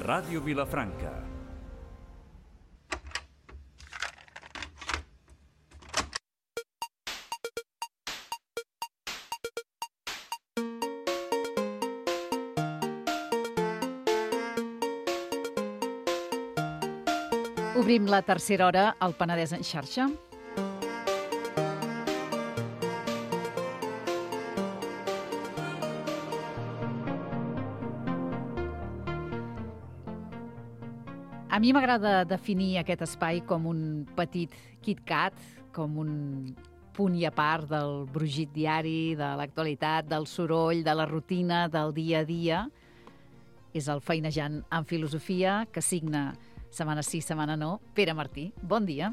Ràdio Vilafranca. Obrim la tercera hora al Penedès en xarxa. A mi m'agrada definir aquest espai com un petit KitKat, com un punt i a part del brogit diari, de l'actualitat, del soroll, de la rutina, del dia a dia. És el Feinejant en Filosofia, que signa setmana sí, setmana no, Pere Martí. Bon dia.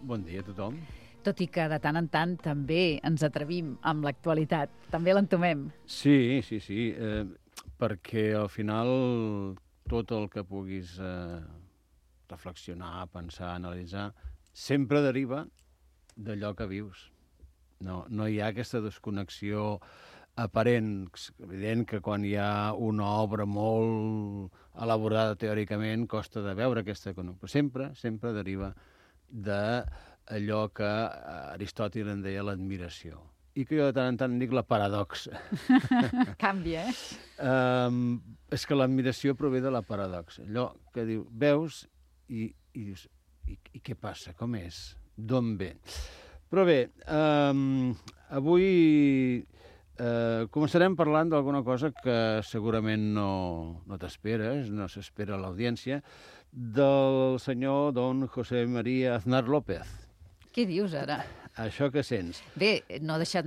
Bon dia a tothom. Tot i que de tant en tant també ens atrevim amb l'actualitat. També l'entomem. Sí, perquè al final tot el que puguis reflexionar, pensar, analitzar, sempre deriva d'allò que vius. No hi ha aquesta desconnexió aparent. És evident que quan hi ha una obra molt elaborada teòricament costa de veure aquesta connexió. Però sempre deriva d'allò que Aristòtil en deia l'admiració. I que jo de tant en tant dic la paradoxa. Canvia, És que l'admiració prové de la paradoxa. Allò que diu, veus i dius, i què passa? Com és? D'on ve? Però bé, avui començarem parlant d'alguna cosa que segurament no t'esperes, no s'espera a l'audiència, del senyor don José María Aznar López. Què dius ara? Això que sents. Bé, no ha marxat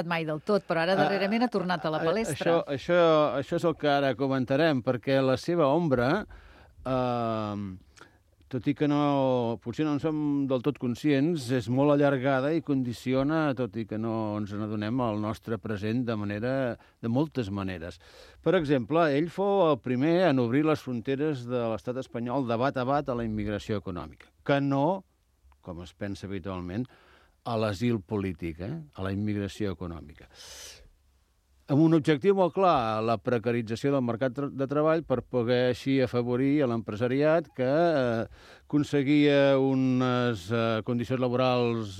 mai del tot, però ara darrerament ha tornat a la palestra. Això és el que ara comentarem, perquè la seva ombra, tot i que potser no en som del tot conscients, és molt allargada i condiciona, tot i que no ens n'adonem, el nostre present de moltes maneres. Per exemple, ell fou el primer en obrir les fronteres de l'estat espanyol de bat a bat a la immigració econòmica, que no, com es pensa habitualment, a l'asil polític, a la immigració econòmica. Amb un objectiu molt clar, la precarització del mercat de treball per poder així afavorir a l'empresariat que aconseguia unes condicions laborals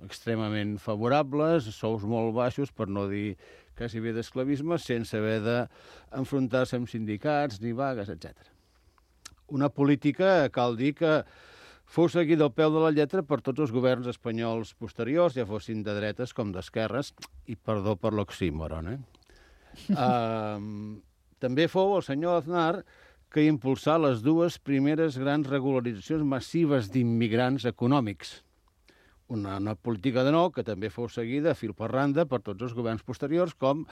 extremament favorables, sous molt baixos, per no dir quasi bé d'esclavisme, sense haver d'enfrontar-se amb sindicats ni vagues, etc. Una política, cal dir, que fou seguida al peu de la lletra per tots els governs espanyols posteriors, ja fossin de dretes com d'esquerres, i perdó per l'oxímoron. També fou el senyor Aznar que impulsà les dues primeres grans regularitzacions massives d'immigrants econòmics. Una política de nou que també fou seguida a fil per randa per tots els governs posteriors, com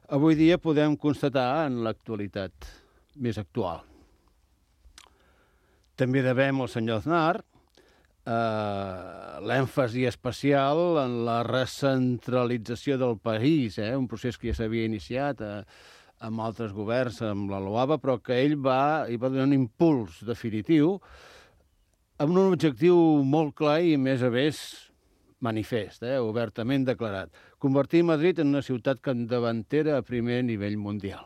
avui dia podem constatar en l'actualitat més actual. També devem al senyor Aznar l'èmfasi especial en la recentralització del país, un procés que ja s'havia iniciat amb altres governs, amb la LOABA, però que ell va donar un impuls definitiu amb un objectiu molt clar i, a més, manifest, obertament declarat. Convertir Madrid en una ciutat capdavantera a primer nivell mundial.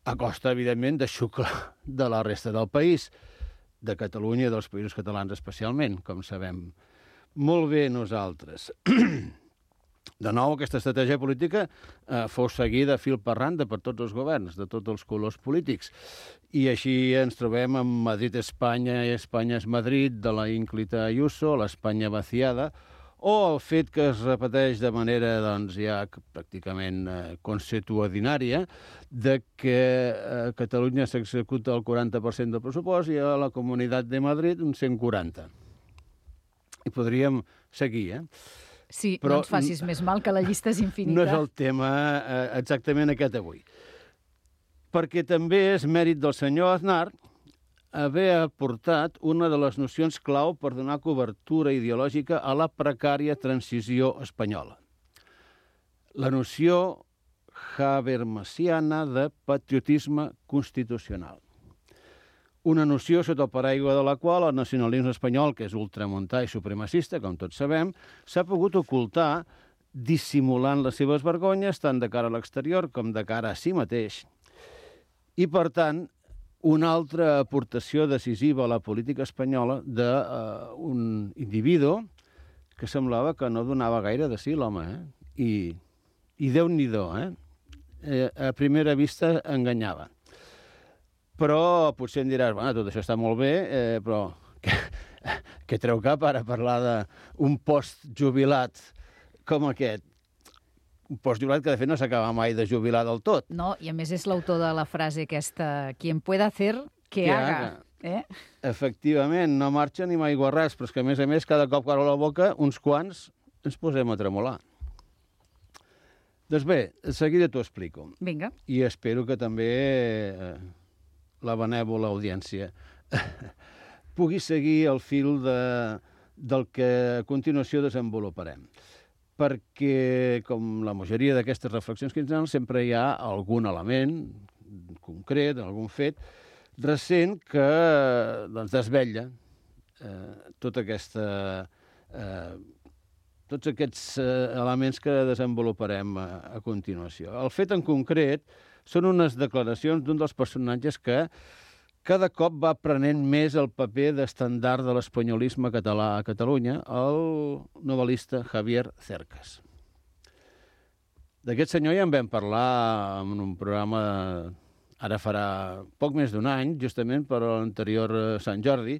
A costa, evidentment, de xuclar de la resta del país, de Catalunya i dels països catalans especialment, com sabem molt bé nosaltres. De nou, aquesta estratègia política fou seguida fil per randa per tots els governs, de tots els colors polítics. I així ens trobem amb Madrid-Espanya i Espanya és Madrid, de la ínclita Ayuso, l'Espanya vaciada, o el fet que es repeteix de manera ja pràcticament consuetudinària de que a Catalunya s'executa el 40% del pressupost i a la Comunitat de Madrid un 140%. I podríem seguir, Sí, però no ens facis més mal, que la llista és infinita. No és el tema exactament aquest avui. Perquè també és mèrit del senyor Aznar haver aportat una de les nocions clau per donar cobertura ideològica a la precària transició espanyola. La noció habermasiana de patriotisme constitucional. Una noció sota el paraigua de la qual el nacionalisme espanyol, que és ultramuntà i supremacista, com tots sabem, s'ha pogut ocultar dissimulant les seves vergonyes, tant de cara a l'exterior com de cara a si mateix. I, per tant, una altra aportació decisiva a la política espanyola d'un individu que semblava que no donava gaire de si, l'home, I Déu-n'hi-do, a primera vista enganyava. Però potser em diràs, bueno, tot això està molt bé, però què treu cap ara parlar d'un postjubilat com aquest? Un postjubilat que, de fet, no s'acaba mai de jubilar del tot. No, i a més és l'autor de la frase aquesta, quien pueda hacer, que haga. Efectivament, no marxa ni mai guarràs, però és que, a més, cada cop que obre la boca, uns quants ens posem a tremolar. Doncs bé, de seguida t'ho explico. Vinga. I espero que també la benèvola audiència pugui seguir el fil del que a continuació desenvoluparem. Perquè, com la majoria d'aquestes reflexions quinzenals, sempre hi ha algun element concret, algun fet recent que desvetlla tots aquests elements que desenvoluparem a continuació. El fet en concret són unes declaracions d'un dels personatges que cada cop va prenent més el paper d'estandard de l'espanyolisme català a Catalunya, el novel·lista Javier Cercas. D'aquest senyor ja en vam parlar en un programa ara farà poc més d'un any, justament per l'anterior Sant Jordi,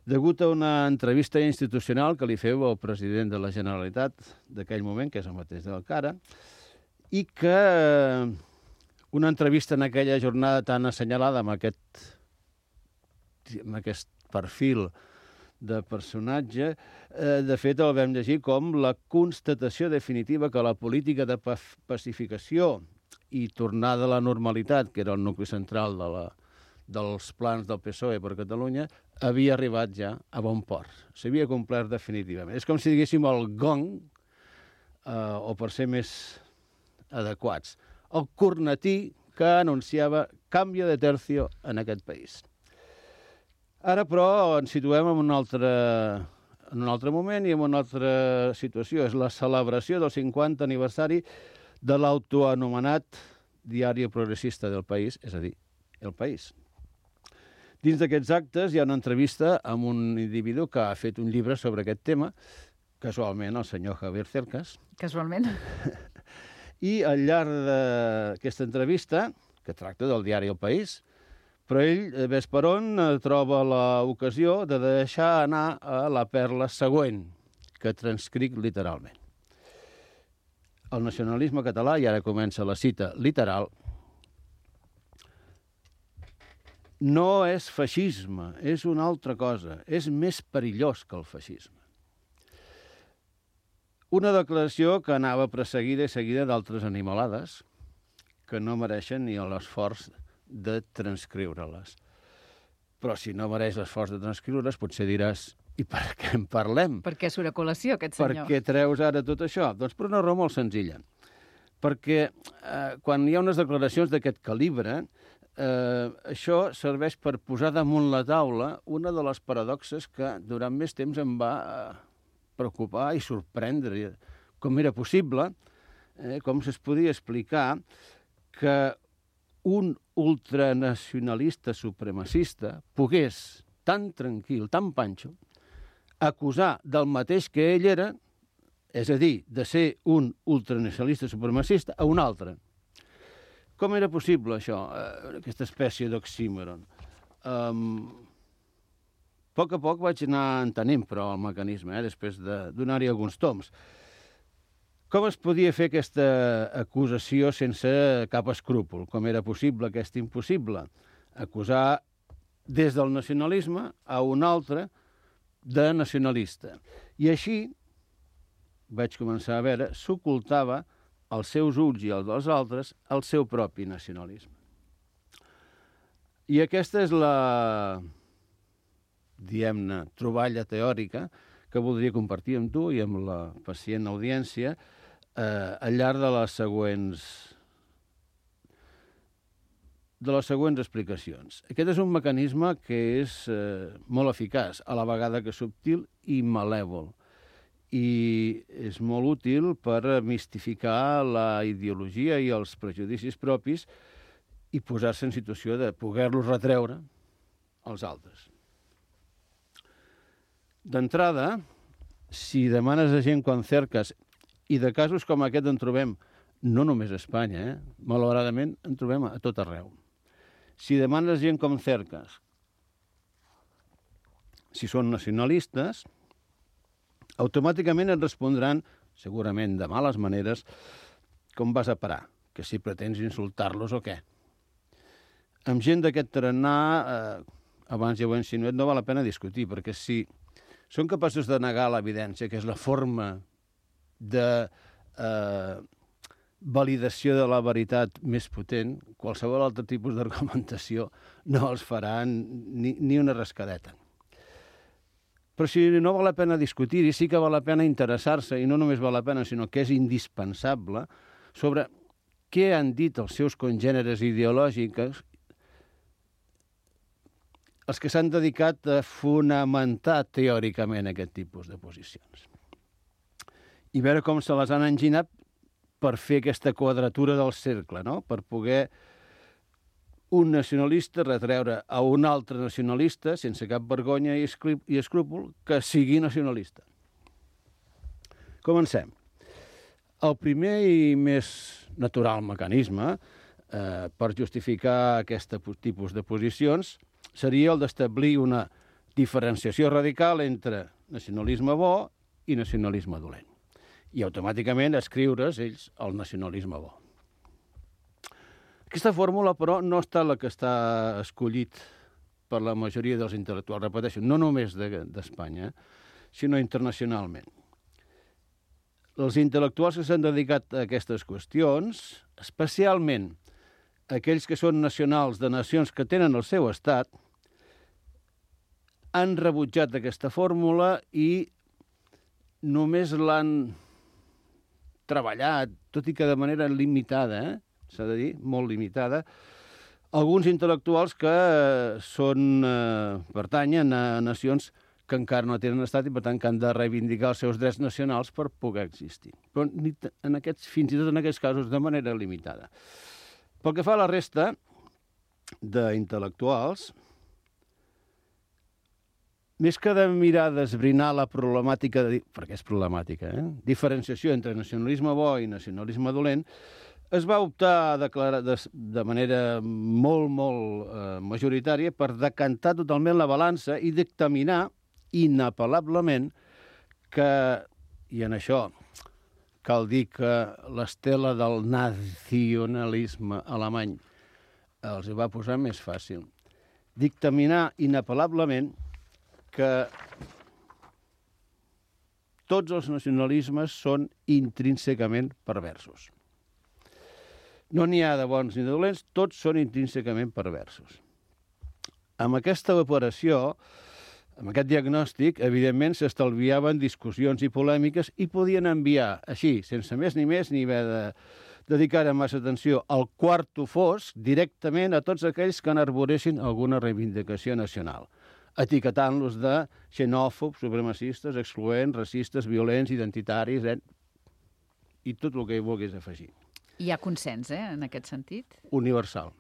degut a una entrevista institucional que li feu al president de la Generalitat d'aquell moment, que és el mateix del Cara, i que una entrevista en aquella jornada tan assenyalada amb aquest perfil de personatge, de fet el vam llegir com la constatació definitiva que la política de pacificació i tornada a la normalitat, que era el nucli central dels plans del PSOE per Catalunya, havia arribat ja a bon port. S'havia complert definitivament. És com si diguéssim el gong, o per ser més adequats, el cornetí que anunciava canvi de tercio en aquest país. Ara, però, ens situem en un altre moment i en una altra situació. És la celebració del 50 aniversari de l'autoanomenat diari progressista del País, és a dir, El País. Dins d'aquests actes hi ha una entrevista amb un individu que ha fet un llibre sobre aquest tema, casualment el senyor Javier Cercas. Casualment. I al llarg d'aquesta entrevista, que tracta del diari El País, però ell, ves per on, troba l'ocasió de deixar anar a la perla següent, que transcric literalment. El nacionalisme català, i ara comença la cita literal, no és feixisme, és una altra cosa, és més perillós que el feixisme. Una declaració que anava precedida i seguida d'altres animalades que no mereixen ni l'esforç de transcriure-les. Però si no mereix l'esforç de transcriure-les, potser diràs, i per què en parlem? Per què surt a col·lació, aquest senyor? Per què treus ara tot això? Doncs per una raó molt senzilla. Perquè quan hi ha unes declaracions d'aquest calibre, això serveix per posar damunt la taula una de les paradoxes que durant més temps em va preocupar i sorprendre. Com era possible, com es podia explicar que un ultranacionalista supremacista pogués, tan tranquil, tan panxo, acusar del mateix que ell era, és a dir, de ser un ultranacionalista supremacista, a un altre. Com era possible això, aquesta espècie d'oxímoron? A poc vaig anar entenent, però, el mecanisme, després de donar-hi alguns toms. Com es podia fer aquesta acusació sense cap escrúpol? Com era possible aquest impossible? Acusar des del nacionalisme a un altre de nacionalista. I així vaig començar a veure, s'ocultava als seus ulls i als dels altres el seu propi nacionalisme. I aquesta és la, diguem-ne, troballa teòrica que voldria compartir amb tu i amb la pacient audiència al llarg de les següents explicacions. Aquest és un mecanisme que és molt eficaç, a la vegada que subtil i malèvol. i és molt útil per mistificar la ideologia i els prejudicis propis i posar-se en situació de poder-los retreure als altres. D'entrada, si demanes a gent quan cerques, i de casos com aquest en trobem no només a Espanya, malauradament en trobem a tot arreu. Si demanes gent com cerques, si són nacionalistes, automàticament et respondran, segurament de males maneres, com vas a parar, que si pretens insultar-los o què. Amb gent d'aquest tarannà, abans ja ho he insinuat, no val la pena discutir, perquè si són capaços de negar l'evidència, que és la forma de validació de la veritat més potent, qualsevol altre tipus d'argumentació no els farà ni una rascadeta. Però si no val la pena discutir-hi, sí que val la pena interessar-se, i no només val la pena, sinó que és indispensable, sobre què han dit els seus congèneres ideològics, els que s'han dedicat a fonamentar teòricament aquest tipus de posicions. I veure com se les han enginat per fer aquesta quadratura del cercle, no? Per poder un nacionalista retreure a un altre nacionalista, sense cap vergonya i escrúpol, que sigui nacionalista. Comencem. El primer i més natural mecanisme per justificar aquest tipus de posicions seria el d'establir una diferenciació radical entre nacionalisme bo i nacionalisme dolent. I automàticament escriure's ells el nacionalisme bo. Aquesta fórmula, però, no està la que està escollit per la majoria dels intel·lectuals, repeteixo, no només d'Espanya, sinó internacionalment. Els intel·lectuals que s'han dedicat a aquestes qüestions, especialment aquells que són nacionals de nacions que tenen el seu estat, han rebutjat aquesta fórmula i només l'han treballat, tot i que de manera limitada, s'ha de dir, molt limitada, alguns intel·lectuals que pertanyen a nacions que encara no tenen estat i, per tant, que han de reivindicar els seus drets nacionals per poder existir. Però fins i tot en aquests casos de manera limitada. Pel que fa a la resta d'intel·lectuals, més que de mirar d'esbrinar la problemàtica, perquè és problemàtica, diferenciació entre nacionalisme bo i nacionalisme dolent, es va optar a declarar de manera molt majoritària per decantar totalment la balança i dictaminar inapel·lablement que, i en això cal dir que l'estela del nacionalisme alemany els va posar més fàcil, dictaminar inapel·lablement que tots els nacionalismes són intrínsecament perversos. No n'hi ha de bons ni de dolents, tots són intrínsecament perversos. Amb aquesta operació, amb aquest diagnòstic, evidentment s'estalviaven discussions i polèmiques i podien enviar, així, sense més ni haver de dedicar massa atenció al quarto fosc directament a tots aquells que enarboressin alguna reivindicació nacional, etiquetant-los de xenòfobs, supremacistes, excloents, racistes, violents, identitaris, i tot el que hi vulguis afegir. Hi ha consens, en aquest sentit? Universal.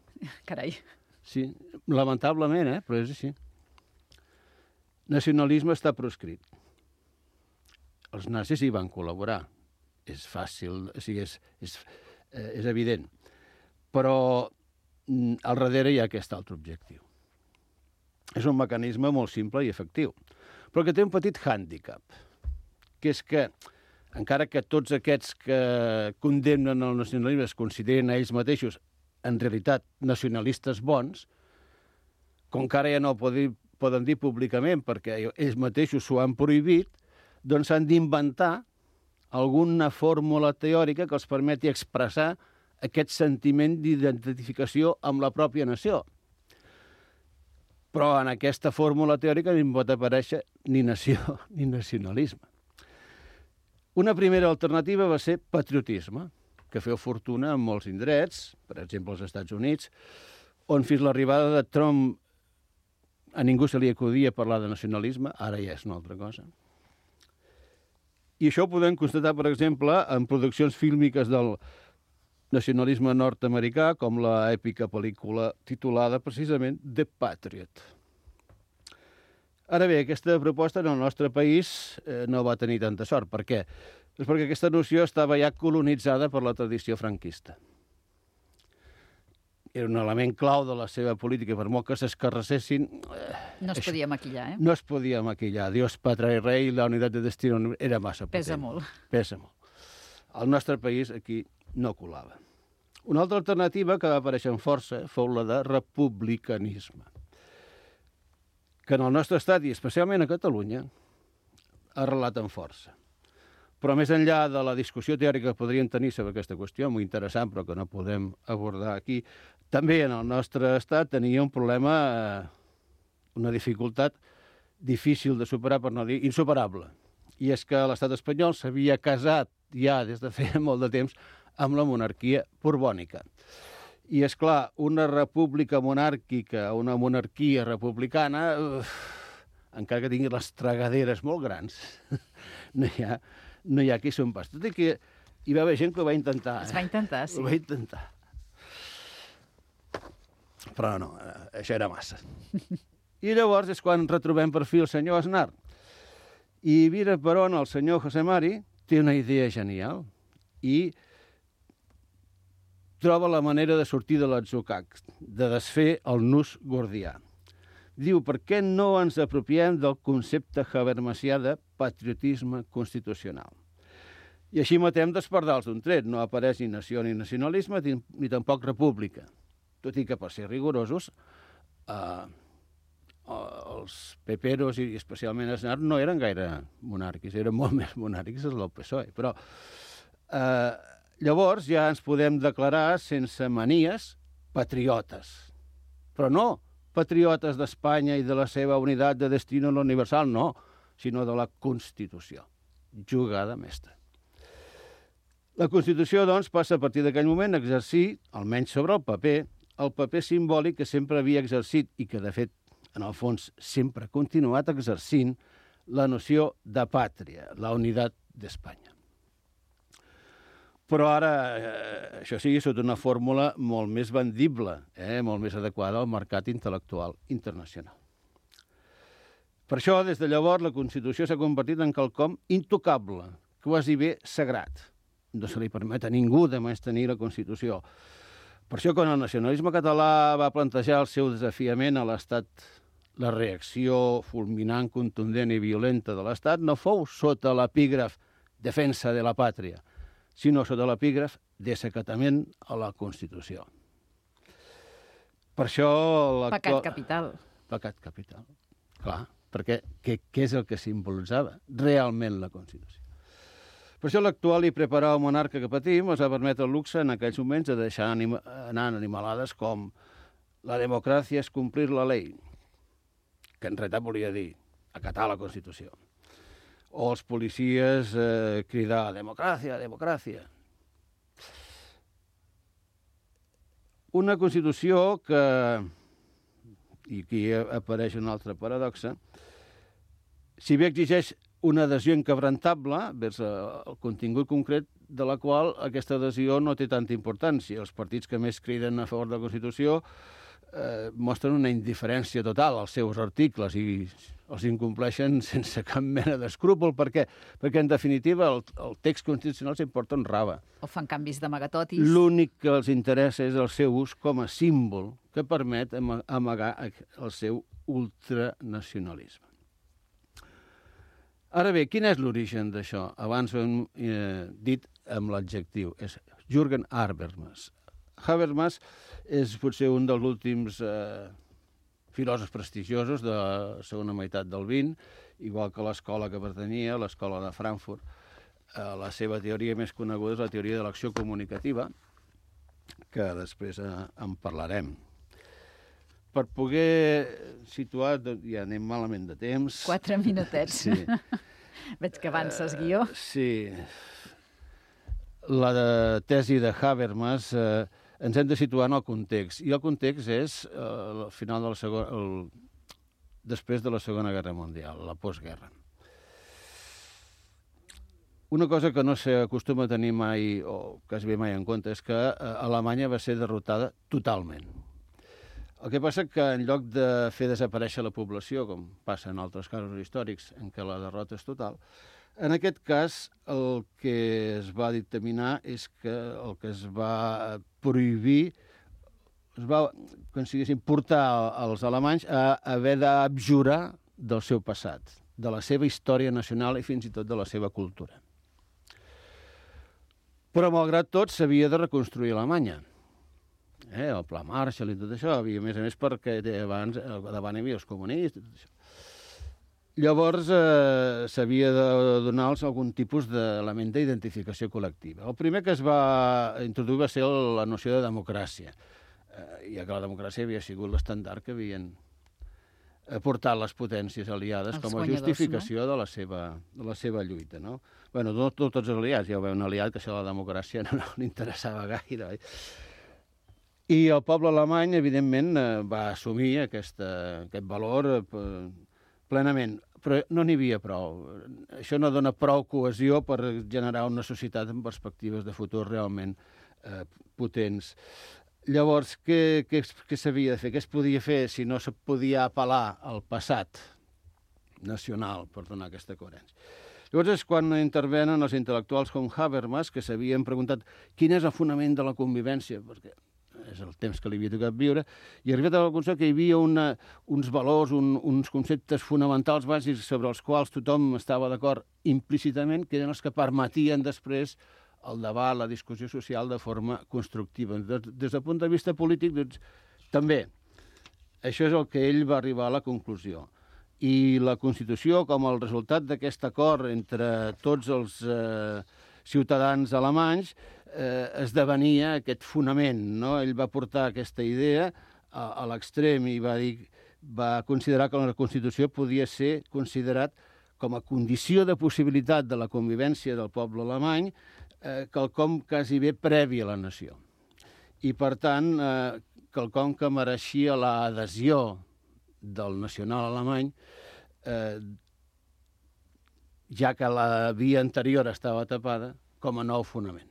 Carai. Sí, lamentablement, però és així. Nacionalisme està proscrit. Els nazis hi van col·laborar. És fàcil, o sigui, és evident. Però al darrere hi ha aquest altre objectiu. És un mecanisme molt simple i efectiu, però que té un petit hàndicap, que és que, encara que tots aquests que condemnen el nacionalisme es consideren a ells mateixos en realitat nacionalistes bons, com que ara ja no poden dir públicament perquè ells mateixos s'ho han prohibit, doncs s'han d'inventar alguna fórmula teòrica que els permeti expressar aquest sentiment d'identificació amb la pròpia nació. Però en aquesta fórmula teòrica no pot aparèixer ni nació ni nacionalisme. Una primera alternativa va ser patriotisme, que feu fortuna en molts indrets, per exemple als Estats Units, on fins l'arribada de Trump a ningú se li acudia parlar de nacionalisme, ara ja és una altra cosa. I això ho podem constatar, per exemple, en produccions fílmiques del nacionalisme nord-americà, com la èpica pel·lícula titulada precisament The Patriot. Ara bé, aquesta proposta en el nostre país no va tenir tanta sort. Per què? És perquè aquesta noció estava ja colonitzada per la tradició franquista. Era un element clau de la seva política, per molt que s'escarrassessin... No es podia maquillar, eh? No es podia maquillar. Dios, Patria y Rey, la unitat de destino era massa potent. Pesa molt. Pesa molt. Al nostre país aquí no colava. Una altra alternativa que va aparèixer amb força fou la de republicanisme, que en el nostre estat, i especialment a Catalunya, ha arrelat amb força. Però més enllà de la discussió teòrica que podríem tenir sobre aquesta qüestió, molt interessant, però que no podem abordar aquí, també en el nostre estat tenia un problema, una dificultat difícil de superar, per no dir insuperable. I és que l'estat espanyol s'havia casat ja des de feia molt de temps amb la monarquia borbònica. I, és clar, una república monàrquica, una monarquia republicana, encara que tingui les tragaderes molt grans, no hi ha qui són pas. Tot i que hi va haver gent que ho va intentar. Es va intentar, sí. Ho va intentar. Però no, això era massa. I llavors és quan retrobem per fi el senyor Aznar. I mira per on el senyor José Mari té una idea genial i troba la manera de sortir de l'atzucac, de desfer el nus gordià. Diu, per què no ens apropiem del concepte habermasià de patriotisme constitucional? I així matem dos pardals d'un tret. No apareix ni nació ni nacionalisme, ni tampoc república. Tot i que, per ser rigorosos, els peperos i especialment Aznar no eren gaire monàrquics, eren molt més monàrquics els del PSOE. Però llavors ja ens podem declarar sense manies patriotes. Però no patriotes d'Espanya i de la seva unitat de destino universal, no, sinó de la Constitució. Jugada mestra. La Constitució, doncs, passa a partir d'aquell moment a exercir, almenys sobre el paper simbòlic que sempre havia exercit i que, de fet, en el fons, sempre ha continuat exercint la noció de pàtria, la unitat d'Espanya. Però ara, això sí, sota una fórmula molt més vendible, molt més adequada al mercat intel·lectual internacional. Per això, des de llavors, la Constitució s'ha convertit en quelcom intocable, quasi bé sagrat. No se li permet a ningú de menystenir la Constitució. Per això, quan el nacionalisme català va plantejar el seu desafiament a l'Estat, la reacció fulminant, contundent i violenta de l'Estat no fou sota l'epígraf defensa de la pàtria, sinó sota l'epígraf desacatament a la Constitució. Per això... Pecat capital. Pecat capital. Clar, perquè què és el que simbolitzava realment la Constitució? Per això l'actual i preparat monarca que patim ens va permetre el luxe en aquells moments de deixar anar animalades com la democràcia és complir la llei, que en realitat volia dir acatar la Constitució. O els policies cridar democràcia, democràcia. Una Constitució que, i aquí apareix una altra paradoxa, si bé exigeix una adhesió inquebrantable vers el contingut concret de la qual aquesta adhesió no té tanta importància. Els partits que més criden a favor de la Constitució mostren una indiferència total als seus articles i els incompleixen sense cap mena d'escrúpol. Per què? Perquè, en definitiva, el text constitucional s'importa un rave. O fan canvis d'amagatotis. L'únic que els interessa és el seu ús com a símbol que permet amagar el seu ultranacionalisme. Ara bé, quin és l'origen d'això? Abans ho hem dit amb l'adjectiu. És Jürgen Habermas. Habermas és potser un dels últims filòsofs prestigiosos de la segona meitat del XX, igual que l'escola que pertanyia, l'escola de Frankfurt. La seva teoria més coneguda és la teoria de l'acció comunicativa, que després en parlarem. Per poder situar, ja anem malament de temps. 4 minutets. Sí. Veig que avances, guió. Sí. La tesi de Habermas ens hem de situar en el context. I el context és el final de després de la Segona Guerra Mundial, la postguerra. Una cosa que no s'acostuma a tenir mai, o quasi bé mai en compte, és que Alemanya va ser derrotada totalment. El que passa que en lloc de fer desaparèixer la població, com passa en altres casos històrics en què la derrota és total, en aquest cas el que es va dictaminar és que el que es va prohibir, es va, com si diguéssim, portar els alemanys a haver d'abjurar del seu passat, de la seva història nacional i fins i tot de la seva cultura. Però, malgrat tot, s'havia de reconstruir Alemanya. El Pla Marshall i tot això, havia, a més, perquè abans, davant hi havia els comunistes, tot això. Llavors, s'havia de donar-los algun tipus d'element d'identificació col·lectiva. El primer que es va introduir va ser la noció de democràcia, ja que la democràcia havia sigut l'estandard que havien portat les potències aliades com a justificació, no?, de la seva lluita, no? Bé, no tots els aliats, ja ho veu un aliat que això de la democràcia no li interessava gaire. I el poble alemany, evidentment, va assumir aquest valor plenament, però no n'hi havia prou. Això no dona prou cohesió per generar una societat amb perspectives de futur realment potents. Llavors, què s'havia de fer? Què es podia fer si no se podia apel·lar al passat nacional per donar aquesta coherència? Llavors és quan intervenen els intel·lectuals com Habermas, que s'havien preguntat quin és el fonament de la convivència, perquè és el temps que li havia tocat viure, i arribat a la conclusió que hi havia uns valors, uns conceptes fonamentals bàsics sobre els quals tothom estava d'acord implícitament, que eren els que permetien després el debat, la discussió social de forma constructiva. Des del punt de vista polític, doncs, també. Això és el que ell va arribar a la conclusió. I la Constitució, com el resultat d'aquest acord entre tots els ciutadans alemanys, esdevenia aquest fonament, no? Ell va portar aquesta idea a l'extrem i va considerar que la Constitució podia ser considerat com a condició de possibilitat de la convivència del poble alemany, quelcom quasi bé previ a la nació. I, per tant, quelcom que mereixia l'adhesió del nacional alemany, ja que la via anterior estava tapada, com a nou fonament.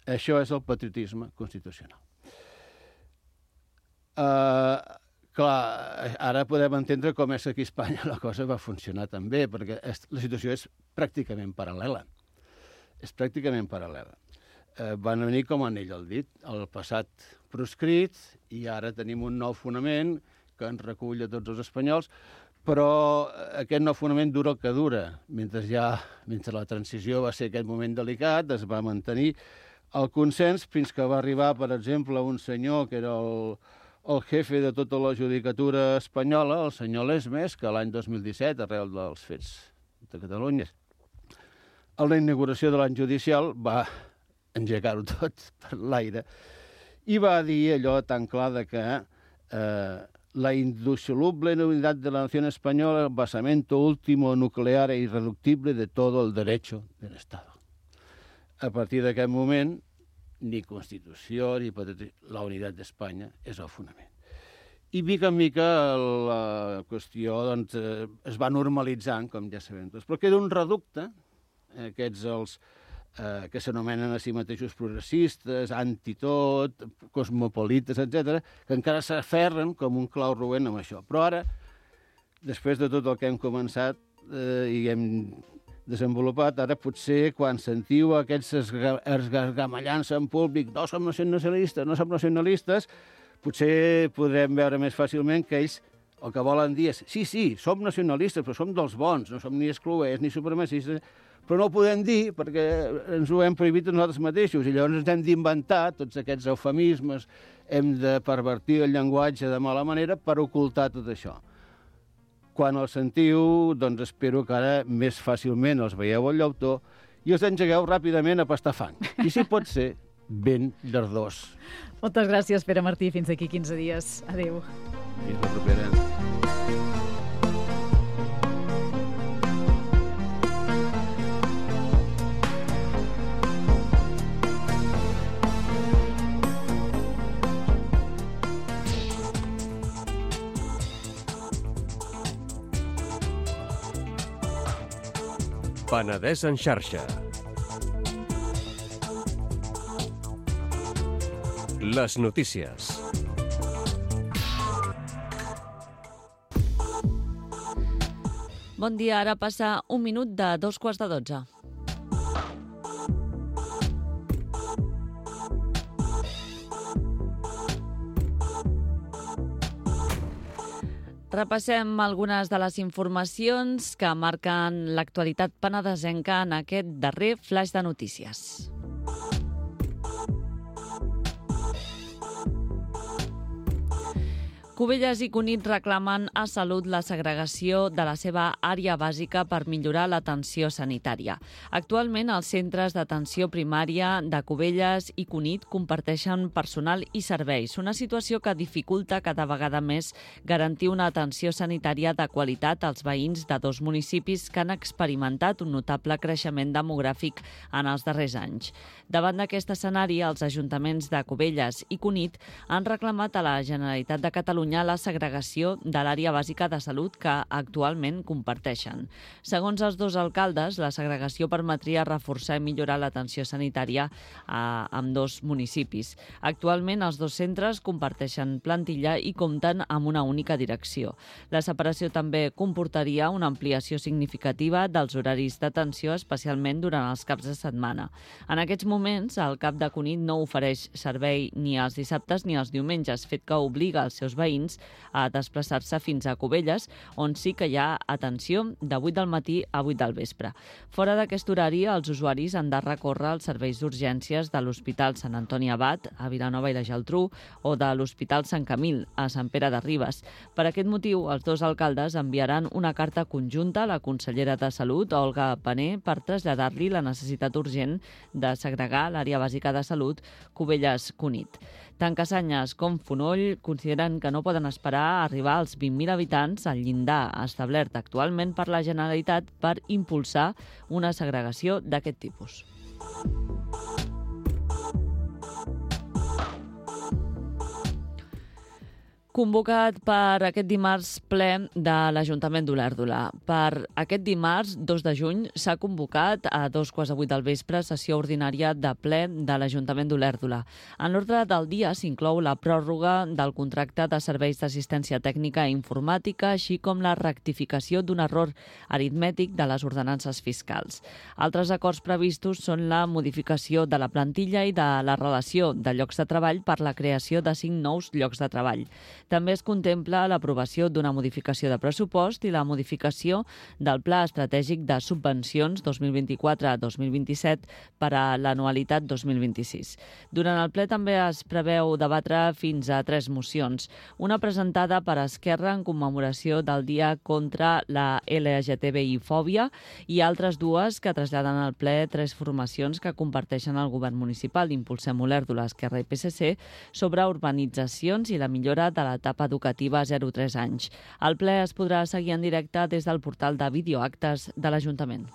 Això és el patriotisme constitucional. Clar, ara podem entendre com és que aquí a Espanya la cosa va funcionar també, perquè la situació és pràcticament paral·lela. És pràcticament paral·lela. Van venir com anell al dit, el passat proscrit, i ara tenim un nou fonament que ens recull a tots els espanyols, però aquest nou fonament dura el que dura. Mentre la transició va ser aquest moment delicat, es va mantenir el consens fins que va arribar, per exemple, un senyor que era el jefe de tota la judicatura espanyola, el senyor Lesmes, que l'any 2017, arrel dels fets de Catalunya, a la inauguració de l'any judicial va engegar-ho tot per l'aire i va dir allò tan clar que la indisoluble unidad de la nación española, el basamento último, nuclear e irreductible de todo el derecho del Estado. A partir d'aquest moment, ni Constitució ni la unitat d'Espanya és el fonament. I mica en mica la qüestió es va normalitzant, com ja sabem tots, però queda un reducte, aquests que s'anomenen a si mateixos progressistes, antitot, cosmopolites, etc., que encara s'aferren com un clau roent amb això. Però ara, després de tot el que hem començat i hem desenvolupat, ara potser quan sentiu aquests esgargamellants en públic, no som nacionalistes, potser podrem veure més fàcilment que ells el que volen dir és sí, som nacionalistes, però som dels bons, no som ni excloents ni supremacistes, però no ho podem dir perquè ens ho hem prohibit nosaltres mateixos i llavors ens hem d'inventar tots aquests eufemismes, hem de pervertir el llenguatge de mala manera per ocultar tot això. Quan els sentiu, doncs espero que ara més fàcilment els veieu al llautó i els engegueu ràpidament a pastar fang. I si pot ser, ben llardós. Moltes gràcies, Pere Martí. Fins aquí 15 dies. Adéu. Fins la propera. Penedès en xarxa. Les notícies. Bon dia, ara passa un minut de 2:15. Repassem algunes de les informacions que marquen l'actualitat penedesenca en aquest darrer flaix de notícies. Cubelles i Cunit reclamen a Salut la segregació de la seva àrea bàsica per millorar l'atenció sanitària. Actualment, els centres d'atenció primària de Cubelles i Cunit comparteixen personal i serveis, una situació que dificulta cada vegada més garantir una atenció sanitària de qualitat als veïns de dos municipis que han experimentat un notable creixement demogràfic en els darrers anys. Davant d'aquest escenari, els ajuntaments de Cubelles i Cunit han reclamat a la Generalitat de Catalunya la segregació de l'àrea bàsica de salut que actualment comparteixen. Segons els dos alcaldes, la segregació permetria reforçar i millorar l'atenció sanitària a ambdós municipis. Actualment, els dos centres comparteixen plantilla i compten amb una única direcció. La separació també comportaria una ampliació significativa dels horaris d'atenció, especialment durant els caps de setmana. En aquests moments, el CAP de Cunit no ofereix servei ni els dissabtes ni els diumenges, fet que obliga els seus veïns a desplaçar-se fins a Cubelles, on sí que hi ha atenció de 8 del matí a 8 del vespre. Fora d'aquest horari, els usuaris han de recórrer als serveis d'urgències de l'Hospital Sant Antoni Abat, a Vilanova i la Geltrú, o de l'Hospital Sant Camil, a Sant Pere de Ribes. Per aquest motiu, els dos alcaldes enviaran una carta conjunta a la consellera de Salut, Olga Pané, per traslladar-li la necessitat urgent de segregar l'àrea bàsica de salut Cubelles-Cunit. Tant Cassanyes com Fonoll consideren que no poden esperar a arribar als 20.000 habitants al llindar establert actualment per la Generalitat per impulsar una segregació d'aquest tipus. Convocat per aquest dimarts ple de l'Ajuntament d'Olèrdola. Per aquest dimarts, 2 de juny, s'ha convocat a 2:15 del vespre sessió ordinària de ple de l'Ajuntament d'Olèrdola. En l'ordre del dia s'inclou la pròrroga del contracte de serveis d'assistència tècnica i informàtica, així com la rectificació d'un error aritmètic de les ordenances fiscals. Altres acords previstos són la modificació de la plantilla i de la relació de llocs de treball per la creació de 5 nous llocs de treball. També es contempla l'aprovació d'una modificació de pressupost i la modificació del Pla Estratègic de Subvencions 2024-2027 per a l'anualitat 2026. Durant el ple també es preveu debatre fins a 3 mocions. Una presentada per Esquerra en commemoració del Dia contra la LGTBI-fòbia i altres 2 que traslladen al ple 3 formacions que comparteixen el govern municipal d'Impulsem Olèrdola, Esquerra i PSC sobre urbanitzacions i la millora de l'etapa educativa 0-3 anys. El ple es podrà seguir en directe des del portal de videoactes de l'Ajuntament.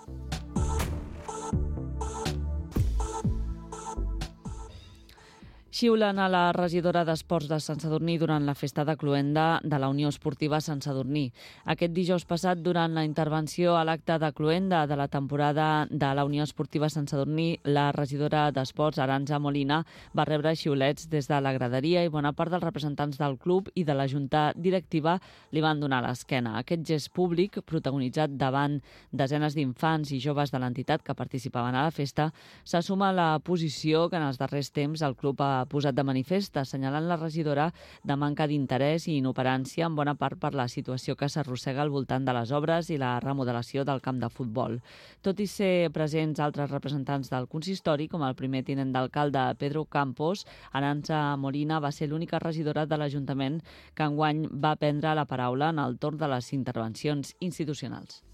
Xiulen a la regidora d'Esports de Sant Sadurní durant la festa de cloenda de la Unió Esportiva Sant Sadurní. Aquest dijous passat, durant la intervenció a l'acte de cloenda de la temporada de la Unió Esportiva Sant Sadurní, la regidora d'Esports, Arantxa Molina, va rebre xiulets des de la graderia i bona part dels representants del club i de la junta directiva li van donar l'esquena. Aquest gest públic, protagonitzat davant desenes d'infants i joves de l'entitat que participaven a la festa, se suma a la posició que en els darrers temps el club ha posat de manifest, assenyalant la regidora de manca d'interès i inoperància en bona part per la situació que s'arrossega al voltant de les obres i la remodelació del camp de futbol. Tot i ser presents altres representants del consistori, com el primer tinent d'alcalde Pedro Campos, Arantxa Molina va ser l'única regidora de l'Ajuntament que enguany va prendre la paraula en el torn de les intervencions institucionals.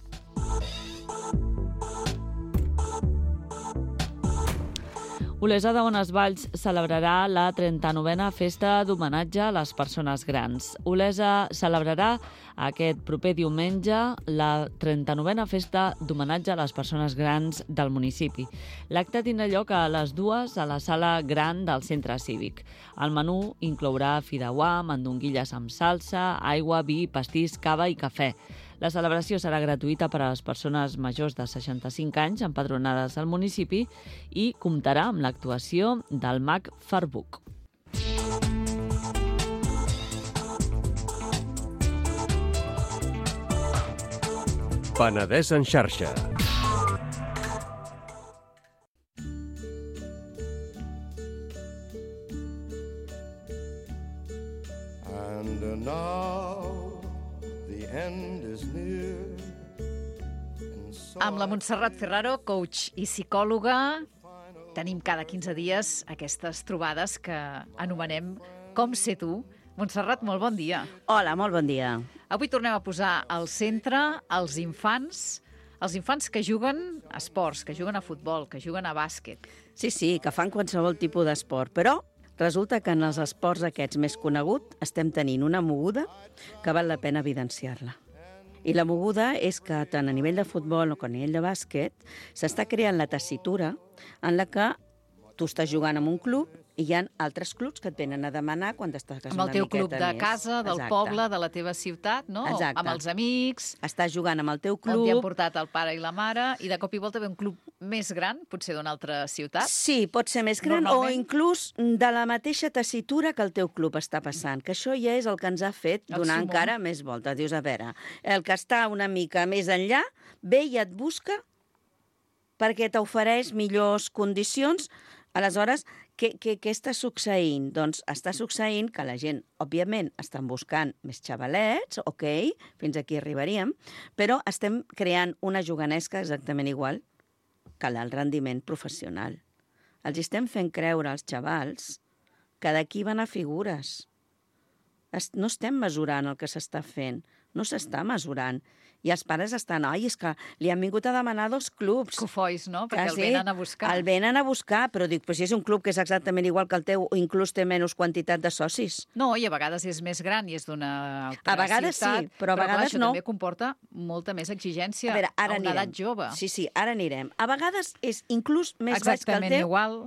Olesa de Bonesvalls celebrarà la 39a festa d'homenatge a les persones grans. Olesa celebrarà aquest proper diumenge la 39a festa d'homenatge a les persones grans del municipi. L'acte tindrà lloc a les 2 a la sala gran del centre cívic. El menú inclourà fideuà, mandonguilles amb salsa, aigua, vi, pastís, cava i cafè. La celebració serà gratuïta per a les persones majors de 65 anys empadronades al municipi i comptarà amb l'actuació del mag Farbuc. Penedès en xarxa. And now the end is near. Amb la Montserrat Ferraro, coach i psicòloga, tenim cada 15 dies aquestes trobades que anomenem Com ser tu. Montserrat, molt bon dia. Hola, molt bon dia. Avui tornem a posar al centre els infants que juguen a esports, que juguen a futbol, que juguen a bàsquet. Sí, que fan qualsevol tipus d'esport, però resulta que en els esports aquests més coneguts estem tenint una moguda que val la pena evidenciar-la. I la moguda és que tant a nivell de futbol com a nivell de bàsquet s'està creant la tessitura en la que tu estàs jugant en un club i hi ha altres clubs que et venen a demanar quan estàs una miqueta més. Amb el teu club de casa, del poble, de la teva ciutat, no? Exacte. Amb els amics. Estàs jugant amb el teu club. On t'hi han portat el pare i la mare, i de cop i volta ve un club més gran, potser d'una altra ciutat. Sí, pot ser més gran o inclús de la mateixa tessitura que el teu club està passant, que això ja és el que ens ha fet donar encara més volta. Dius, a veure, el que està una mica més enllà ve i et busca perquè t'ofereix millors condicions. Aleshores, què està succeint? Doncs està succeint que la gent, òbviament, estan buscant més xavalets, ok, fins aquí arribaríem, però estem creant una juganesca exactament igual que el rendiment professional. Els estem fent creure als xavals que d'aquí van a figures. No estem mesurant el que s'està fent, no s'està mesurant. I els pares estan, és que li han vingut a demanar 2 clubs. Cofois, no? Perquè el venen a buscar. El venen a buscar, però dic, si és un club que és exactament igual que el teu, o inclús té menys quantitat de socis. No, i a vegades és més gran i és d'una altra ciutat. A vegades sí, però a vegades això no. També comporta molta més exigència a una edat jove. Sí, ara anirem. A vegades és inclús més baix que el teu. Exactament igual.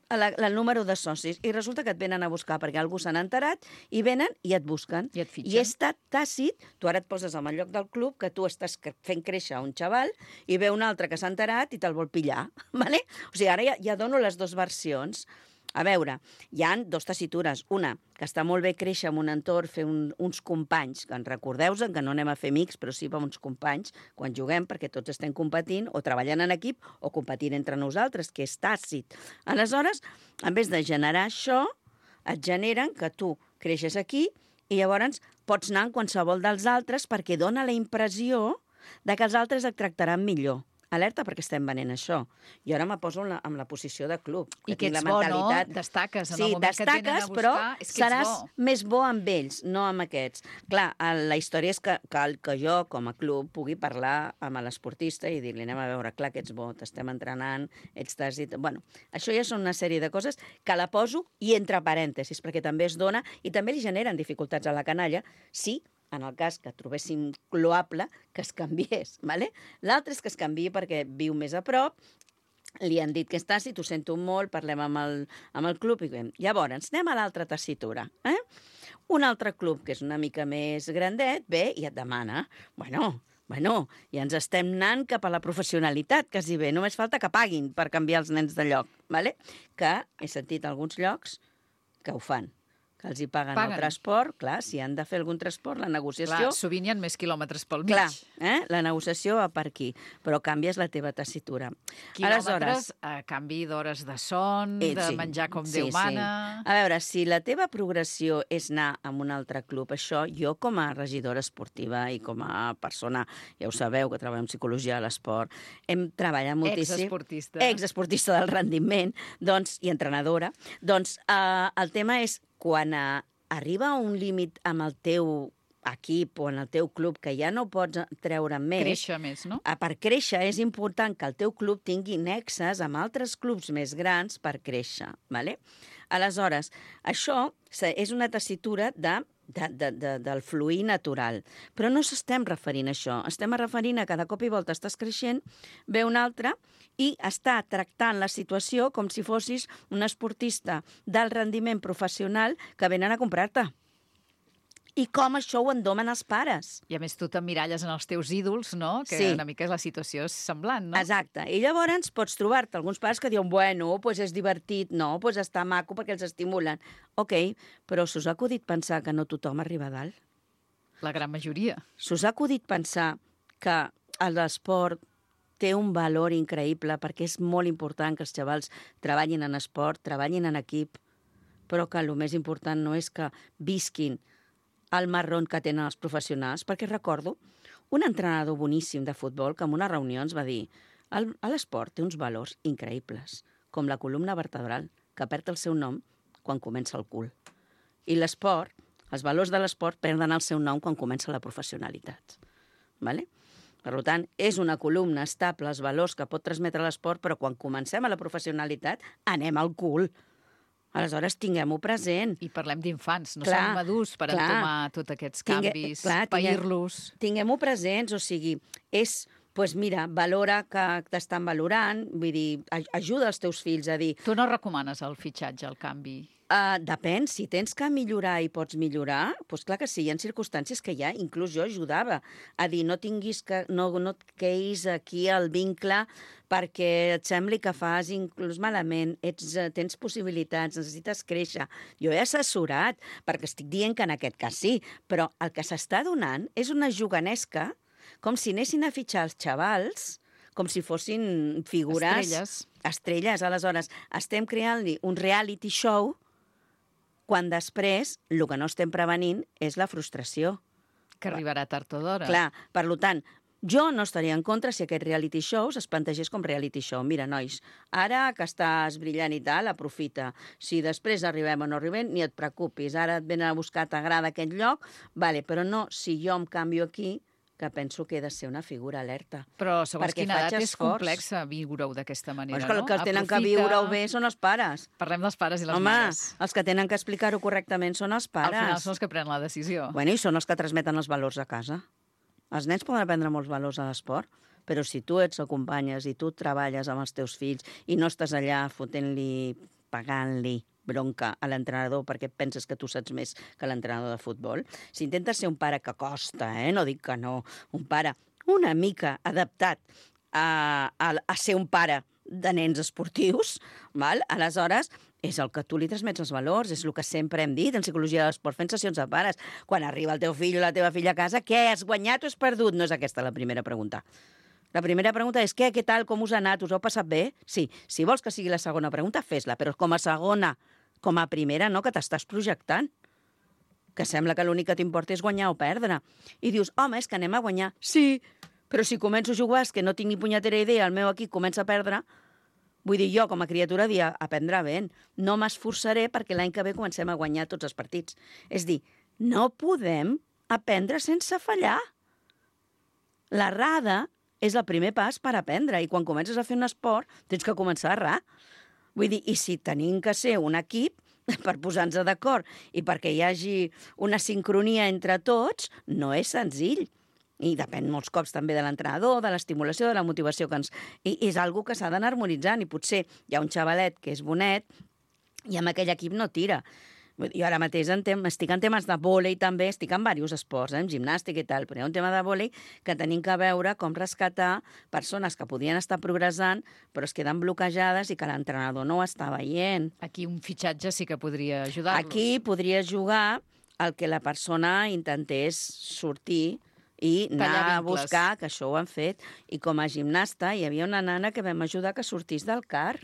El número de socis, i resulta que et venen a buscar perquè algú s'han enterat i venen i et busquen. I et fitxen. I és tàcit, tu ara et poses en el lloc del club que tu estàs fent créixer un xaval i ve un altre que s'ha enterat i te'l vol pillar. Vale? O sigui, ara ja dono les 2 versions. A veure, hi ha 2 tessitures. Una, que està molt bé créixer en un entorn, fer uns companys, que recordeu-vos que no anem a fer amics, però sí uns companys quan juguem, perquè tots estem competint o treballant en equip o competint entre nosaltres, que és tàcit. Aleshores, en vez de generar això, et generen que tu creixes aquí i llavors pots anar en qualsevol dels altres perquè dona la impressió de que els altres et tractaran millor. Alerta perquè estem venent això. I ara me poso en la posició de club. I que ets bo, no? Destaques en el moment que et venen a buscar. Però és que seràs més bo amb ells, no amb aquests. Clar, la història és que jo, com a club, pugui parlar amb l'esportista i dir-li, anem a veure, clar que ets bo, t'estem entrenant, ets tàcit... Bueno, això ja són una sèrie de coses que la poso i entre parèntesis, perquè també es dona i també li generen dificultats a la canalla, sí, en el cas que trobéssim loable, que es canviés. Vale? L'altre és que es canviï perquè viu més a prop, li han dit que és tàcit, ho sento molt, parlem amb el club. Llavors, anem a l'altra tessitura. Un altre club, que és una mica més grandet, ve i et demana, bueno, ja ens estem anant cap a la professionalitat, quasi bé. Només falta que paguin per canviar els nens de lloc. Vale? Que he sentit alguns llocs que ho fan. Que els hi paguen el transport, clar, si han de fer algun transport, la negociació... Clar, sovint hi ha més quilòmetres pel mig. Clar, la negociació va per aquí, però canvies la teva tessitura. Quilòmetres a canvi d'hores de son, de menjar com Déu mana... A veure, si la teva progressió és anar a un altre club, això jo com a regidora esportiva i com a persona, ja ho sabeu, que treballa en psicologia de l'esport, hem treballat moltíssim... Exesportista del rendiment, doncs, i entrenadora. Doncs el tema és quan arriba a un límit amb el teu equip o en el teu club que ja no pots treure més... Créixer més, no? Per créixer és important que el teu club tingui nexes amb altres clubs més grans per créixer. Vale? Aleshores, això és una tessitura del fluir natural. Però no s'estem referint a això. Estem referint a que de cop i volta estàs creixent, ve un altre i està tractant la situació com si fossis un esportista d'alt rendiment professional que venen a comprar-te. I com això ho endomen els pares. I a més tu t'emmiralles en els teus ídols, no? Que una mica la situació és semblant, no? Exacte. I llavors pots trobar-te alguns pares que diuen, bueno, doncs és divertit, no, doncs està maco perquè els estimulen. Ok, però s'us ha acudit pensar que no tothom arriba a dalt? La gran majoria. S'us ha acudit pensar que l'esport té un valor increïble perquè és molt important que els xavals treballin en esport, treballin en equip, però que el més important no és que visquin el marron que tenen els professionals, perquè recordo un entrenador boníssim de futbol que en una reunió ens va dir l'esport té uns valors increïbles, com la columna vertebral, que perd el seu nom quan comença el cul. I l'esport, els valors de l'esport perden el seu nom quan comença la professionalitat. Vale? Per tant, és una columna estable, els valors que pot transmetre l'esport, però quan comencem a la professionalitat anem al cul. Aleshores, tinguem-ho present. I parlem d'infants, no són madurs per entomar tots aquests canvis, pair-los. Tinguem-ho presents, o sigui, és... Doncs mira, valora que t'estan valorant, vull dir, ajuda els teus fills a dir... Tu no recomanes el fitxatge, el canvi? Depèn, si tens que millorar i pots millorar, doncs clar que sí, hi ha circumstàncies que ja, inclús jo ajudava a dir no et queis aquí el vincle perquè et sembli que fas inclús malament, tens possibilitats, necessites créixer. Jo he assessorat, perquè estic dient que en aquest cas sí, però el que s'està donant és una juganesca com si anessin a fitxar els xavals, com si fossin figures... Estrelles. Aleshores, estem creant-li un reality show quan després el que no estem prevenint és la frustració. Que arribarà tard o d'hora. Clar, per tant, jo no estaria en contra si aquest reality show es plantegés com reality show. Mira, nois, ara que estàs brillant i tal, aprofita. Si després arribem o no arribem, ni et preocupis. Ara et venen a buscar, t'agrada aquest lloc, vale, però no si jo em canvio aquí, que penso que he de ser una figura alerta. Però segons quina edat és complex viure-ho d'aquesta manera, no? Els que tenen que viure-ho bé són els pares. Parlem dels pares i les mares. Home, els que tenen que explicar-ho correctament són els pares. Al final són els que prenen la decisió. Bueno, i són els que transmeten els valors a casa. Els nens poden aprendre molts valors a l'esport, però si tu ets acompanyes i tu treballes amb els teus fills i no estàs allà fotent-li, pagant-li bronca a l'entrenador perquè penses que tu saps més que l'entrenador de futbol. Si intentes ser un pare que costa, no dic que no, un pare una mica adaptat a ser un pare de nens esportius, val? Aleshores és el que tu li transmets els valors, és el que sempre hem dit en psicologia de l'esport, fent sessions de pares. Quan arriba el teu fill o la teva filla a casa, què, has guanyat o has perdut? No és aquesta la primera pregunta. La primera pregunta és què tal, com us ha anat, us heu passat bé? Sí, si vols que sigui la segona pregunta, fes-la, però com a segona, com a primera, no, que t'estàs projectant. Que sembla que l'únic que t'importa és guanyar o perdre. I dius, home, és que anem a guanyar. Sí, però si començo a jugar, és que no tinc ni punyetera idea, el meu equip comença a perdre, vull dir, jo com a criatura dia aprendre ben. No m'esforçaré perquè l'any que ve comencem a guanyar tots els partits. És dir, no podem aprendre sense fallar. L'errada és el primer pas per aprendre i quan comences a fer un esport tens que començar a errar. Vull dir, i si tenim que ser un equip per posar-nos d'acord i perquè hi hagi una sincronia entre tots, no és senzill. I depèn molts cops també de l'entrenador, de l'estimulació, de la motivació que ens... I és algo que s'ha d'anar harmonitzant i potser hi ha un xavalet que és bonet i amb aquell equip no tira. Jo ara mateix estic en temes de vòlei també, estic en diversos esports, en gimnàstica i tal, però hi ha un tema de vòlei que tenim que veure com rescatar persones que podien estar progressant però es queden bloquejades i que l'entrenador no ho està veient. Aquí un fitxatge sí que podria ajudar-los. Aquí podria jugar el que la persona intentés sortir i anar a buscar, que això ho han fet. I com a gimnasta hi havia una nana que vam ajudar que sortís del CAR,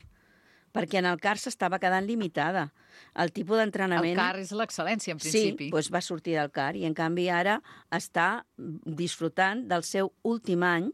perquè en el CAR s'estava quedant limitada. El tipus d'entrenament... El CAR és l'excel·lència, en principi. Sí, doncs va sortir del CAR i, en canvi, ara està disfrutant del seu últim any,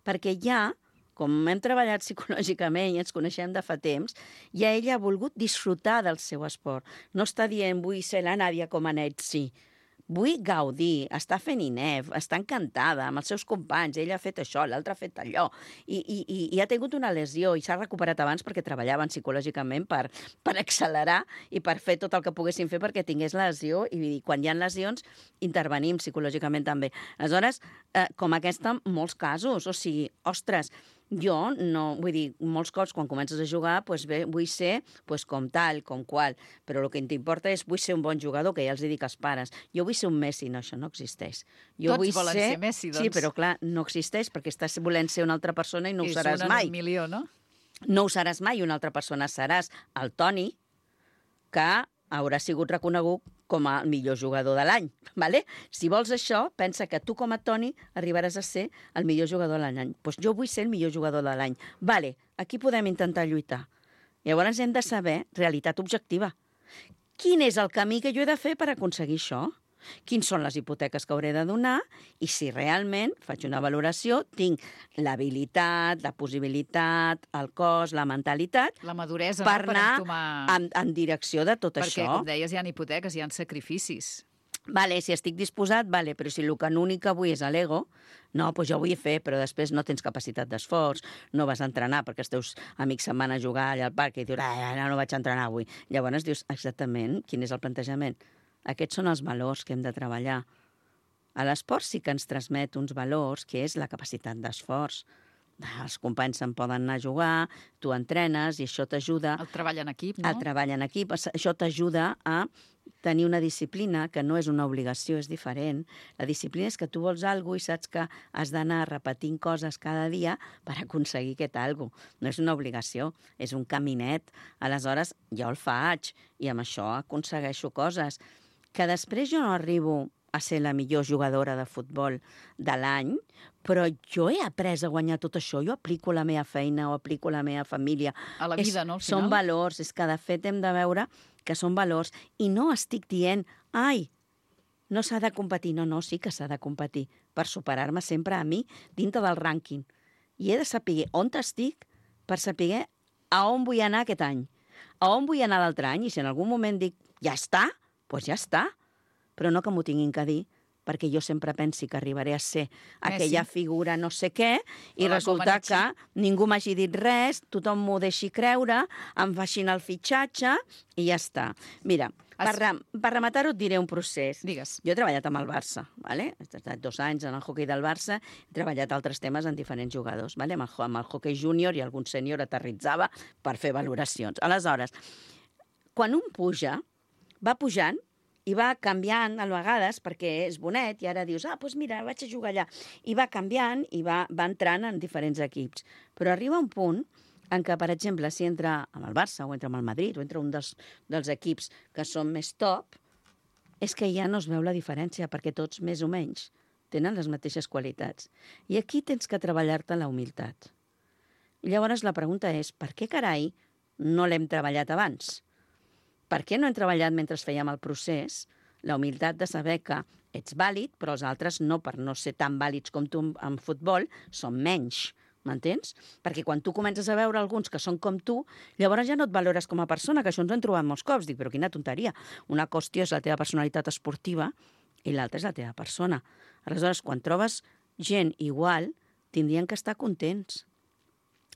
perquè ja, com hem treballat psicològicament i ens coneixem de fa temps, ja ella ha volgut disfrutar del seu esport. No està dient, vull ser la Nàdia Comaneci, sí. Vull gaudir, està fent INEF, està encantada amb els seus companys, ella ha fet això, l'altre ha fet allò, i ha tingut una lesió i s'ha recuperat abans perquè treballaven psicològicament per accelerar i per fer tot el que poguessin fer perquè tingués lesió, i quan hi ha lesions intervenim psicològicament també. Aleshores, com aquesta, molts casos, o sigui, ostres, jo no, vull dir, molts cops quan comences a jugar, doncs bé, vull ser com tal, com qual, però el que t'importa és vull ser un bon jugador, que ja els dic als pares. Jo vull ser un Messi, no, això no existeix. Jo Tots volen ser Messi, doncs. Sí, però clar, no existeix perquè estàs volent ser una altra persona i no ho seràs mai. És un milió, no? No ho seràs mai, una altra persona seràs el Toni, que haurà sigut reconegut com a millor jugador de l'any. ¿Vale? Si vols això, pensa que tu com a Toni arribaràs a ser el millor jugador de l'any. Doncs jo vull ser el millor jugador de l'any. Vale, aquí podem intentar lluitar. Llavors hem de saber realitat objectiva. Quin és el camí que jo he de fer per aconseguir això? Quins són les hipoteques que hauré de donar i si realment faig una valoració, tinc l'habilitat, la possibilitat, el cos, la mentalitat La maduresa, per no? Per anar entomar... en direcció de tot Perquè, això. com deies, hi ha hipoteques, hi ha sacrificis. Vale, si estic disposat, vale, però si l'únic que vull és l'ego, no, doncs jo vull fer, però després no tens capacitat d'esforç, no vas a entrenar perquè els teus amics se'n van a jugar allà al parc i dius, no vaig a entrenar avui. Llavors dius, exactament, quin és el plantejament? Aquests són els valors que hem de treballar. A l'esport sí que ens transmet uns valors, que és la capacitat d'esforç. Els companys se'n poden anar a jugar, tu entrenes i això t'ajuda... El treball en equip, no? El treball en equip, això t'ajuda a tenir una disciplina que no és una obligació, és diferent. La disciplina és que tu vols alguna cosa i saps que has d'anar repetint coses cada dia per aconseguir aquest alguna cosa. No és una obligació, és un caminet. Aleshores, jo el faig i amb això aconsegueixo coses. Que després jo no arribo a ser la millor jugadora de futbol de l'any, però jo he après a guanyar tot això, jo aplico la meva feina o aplico la meva família. A la vida, no, al final? Són valors, és que de fet hem de veure que són valors. I no estic dient, ai, no s'ha de competir. No, sí que s'ha de competir per superar-me sempre a mi dintre del rànquing. I he de saber on estic per saber a on vull anar aquest any, a on vull anar l'altre any, i si en algun moment dic, ja està, doncs ja està. Però no que m'ho tinguin que dir, perquè jo sempre pensi que arribaré a ser aquella figura no sé què, i resulta que ningú m'hagi dit res, tothom m'ho deixi creure, em facin el fitxatge i ja està. Mira, per rematar-ho et diré un procés. Digues. Jo he treballat amb el Barça, ¿vale? He estat 2 anys en el hoquei del Barça, he treballat altres temes en diferents jugadors, ¿vale? Amb el hoquei júnior i algun sènior aterritzava per fer valoracions. Aleshores, quan un puja, va pujant i va canviant a vegades perquè és bonet i ara dius, doncs mira, vaig a jugar allà. I va canviant i va entrant en diferents equips. Però arriba un punt en què, per exemple, si entra amb el Barça o entra amb el Madrid o entra un dels equips que són més top, és que ja no es veu la diferència perquè tots, més o menys, tenen les mateixes qualitats. I aquí tens que treballar-te la humilitat. I llavors la pregunta és, per què carai no l'hem treballat abans? Per què no hem treballat mentre fèiem el procés la humilitat de saber que ets vàlid, però els altres no, per no ser tan vàlids com tu en futbol, són menys, m'entens? Perquè quan tu comences a veure alguns que són com tu, llavors ja no et valores com a persona, que això ens ho hem trobat molts cops. Dic, però quina tonteria. Una qüestió és la teva personalitat esportiva i l'altra és la teva persona. Aleshores, quan trobes gent igual, tindrien que estar contents,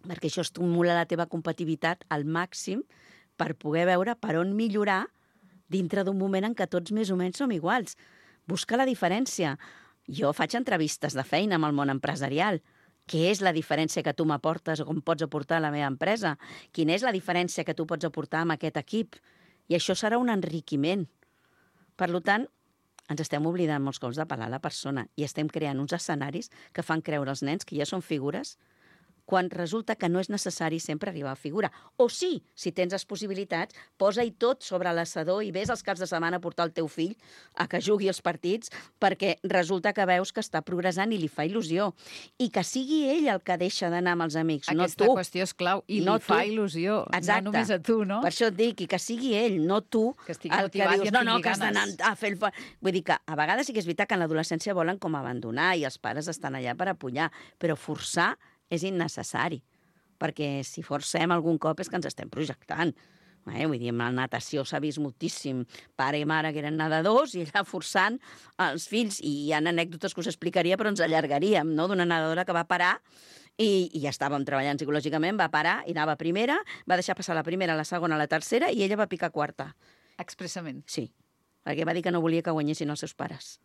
perquè això estimula la teva competitivitat al màxim per poder veure per on millorar dintre d'un moment en què tots més o menys som iguals. Busca la diferència. Jo faig entrevistes de feina amb el món empresarial. Què és la diferència que tu m'aportes o com pots aportar a la meva empresa? Quina és la diferència que tu pots aportar amb aquest equip? I això serà un enriquiment. Per tant, ens estem oblidant molts cops de parlar a la persona i estem creant uns escenaris que fan creure als nens que ja són figures quan resulta que no és necessari sempre arribar a figura. O sí, si tens les possibilitats, posa-hi tot sobre l'assador i vés els caps de setmana a portar el teu fill a que jugui els partits, perquè resulta que veus que està progressant i li fa il·lusió. I que sigui ell el que deixa d'anar amb els amics, no tu. Aquesta qüestió és clau, i no li fa il·lusió, exacte. No només a tu, no? Per això et dic, i que sigui ell, no tu, que estigui el que motivat dius, i no, que tingui has d'anar a fer el... Vull dir que a vegades sí que és veritat que en l'adolescència volen com abandonar i els pares estan allà per apoyar, però forçar és innecessari. Perquè si forcem algun cop és que ens estem projectant. Vull dir, en la natació s'ha vist moltíssim pare i mare que eren nedadors i allà forçant els fills. I hi ha anècdotes que us explicaria, però ens allargaríem, no? D'una nedadora que va parar i ja estàvem treballant psicològicament, va parar i anava a primera, va deixar passar la primera, la segona, la tercera i ella va picar quarta. Expressament. Sí, perquè va dir que no volia que guanyessin els seus pares.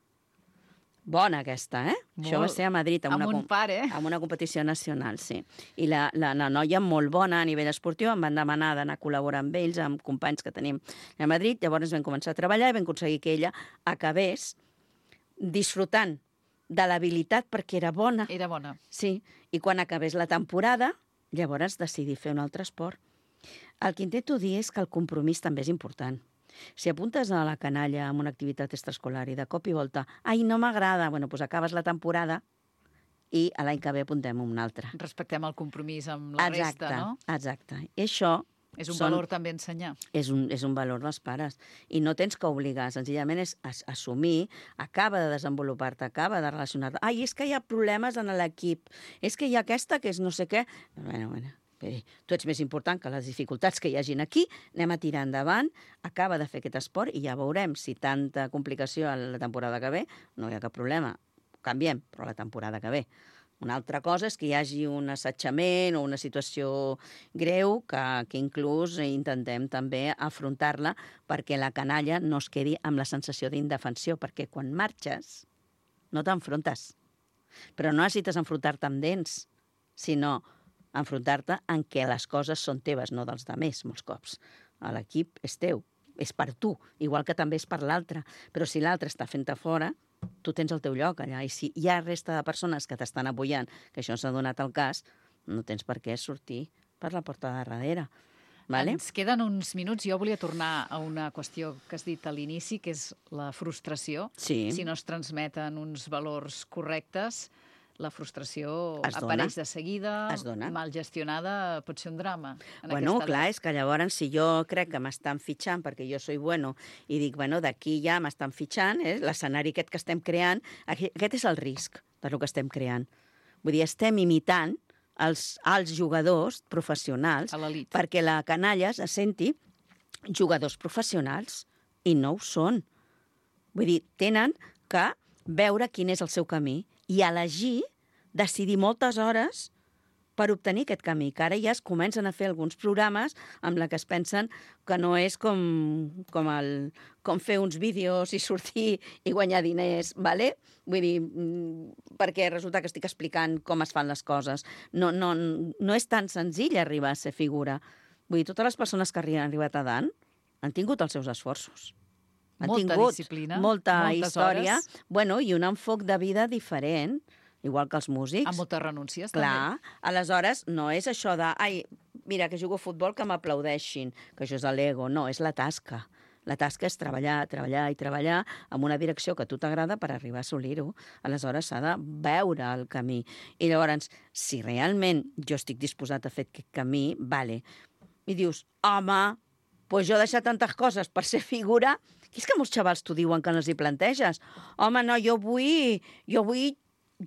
Bona aquesta, eh? Molt. Això va ser a Madrid, amb un pare, amb una competició nacional, sí. I la noia molt bona a nivell esportiu, em van demanar d'anar a col·laborar amb ells, amb companys que tenim a Madrid, llavors vam començar a treballar i vam aconseguir que ella acabés disfrutant de l'habilitat perquè era bona. Era bona. Sí, i quan acabés la temporada, llavors decidí fer un altre esport. El que intento dir és que el compromís també és important. Si apuntes a la canalla amb una activitat extraescolar i de cop i volta, ai, no m'agrada, bueno, doncs acabes la temporada i a l'any que ve apuntem una altra. Respectem el compromís amb la resta, no? Exacte. I això És un valor també ensenyar. és un valor dels pares. I no tens que obligar, senzillament és assumir, acaba de desenvolupar-te, acaba de relacionar-te. Ai, és que hi ha problemes en l'equip, és que hi ha aquesta que és no sé què. Bueno, bé, tu ets més important que les dificultats que hi hagin aquí, anem a tirar endavant, acaba de fer aquest esport i ja veurem si tanta complicació a la temporada que ve, no hi ha cap problema, canviem, però la temporada que ve. Una altra cosa és que hi hagi un assetjament o una situació greu que inclús intentem també afrontar-la perquè la canalla no es quedi amb la sensació d'indefensió, perquè quan marxes no t'enfrontes. Però no necessites enfrontar-te amb dents, sinó enfrontar-te en què les coses són teves, no dels altres, molts cops. L'equip és teu, és per tu, igual que també és per l'altre. Però si l'altre està fent-te fora, tu tens el teu lloc allà. I si hi ha resta de persones que t'estan apoyant, que això s'ha donat el cas, no tens per què sortir per la porta de darrere. Vale? Ens queden uns minuts. Jo volia tornar a una qüestió que has dit a l'inici, que és la frustració. Sí. Si no es transmeten uns valors correctes, la frustració Es dona. apareix de seguida, Es dona. mal gestionada, pot ser un drama. Bueno, clar, és que llavors si jo crec que m'estan fitxant perquè jo soy bueno i dic, bueno, d'aquí ja m'estan fitxant, l'escenari aquest que estem creant, aquest és el risc del que estem creant. Vull dir, estem imitant els jugadors professionals A l'elit. perquè la canalla se senti jugadors professionals i no ho són. Vull dir, tenen que veure quin és el seu camí i elegir, decidir moltes hores per obtenir aquest camí, que ara ja es comencen a fer alguns programes amb la que es pensen que no és com fer uns vídeos i sortir i guanyar diners, ¿vale? Vull dir, perquè resulta que estic explicant com es fan les coses. No és tan senzill arribar a ser figura. Vull dir, totes les persones que han arribat a dalt han tingut els seus esforços. Han Molta tingut disciplina, molta moltes història, hores. bueno, i un enfoc de vida diferent, igual que els músics. Amb moltes renúncies, Clar, aleshores no és això de, ai, mira, que jugo a futbol, que m'aplaudeixin, que això és l'ego, no, és la tasca. La tasca és treballar, treballar i treballar amb una direcció que a tu t'agrada per arribar a assolir-ho. Aleshores s'ha de veure el camí. I llavors, si realment jo estic disposat a fer aquest camí, vale. I dius, home, doncs jo he deixat tantes coses per ser figura, que és que molts xavals t'ho diuen que no els hi planteges. Home, no, jo vull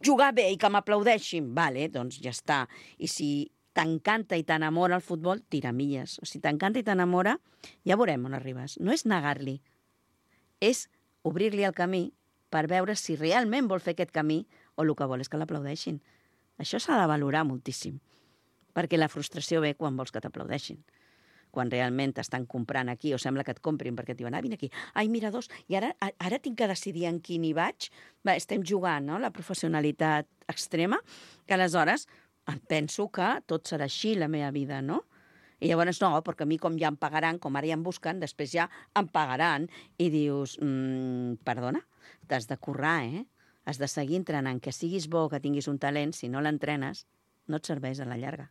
jugar bé i que m'aplaudeixin. Vale, doncs ja està. I si t'encanta i t'enamora el futbol, tira milles. O si t'encanta i t'enamora, ja veurem on arribes. No és negar-li, és obrir-li el camí per veure si realment vol fer aquest camí o el que vol és que l'aplaudeixin. Això s'ha de valorar moltíssim, perquè la frustració ve quan vols que t'aplaudeixin. Quan realment t'estan comprant aquí, o sembla que et comprin perquè et diuen, vine aquí, ai, mira dos, i ara tinc que decidir en quin hi vaig. Va, estem jugant, no?, la professionalitat extrema, que aleshores penso que tot serà així la meva vida, no? I llavors no, perquè a mi com ja em pagaran, com ara ja em busquen, després ja em pagaran, i dius, perdona, t'has de currar, has de seguir entrenant, que siguis bo, que tinguis un talent, si no l'entrenes, no et serveix a la llarga.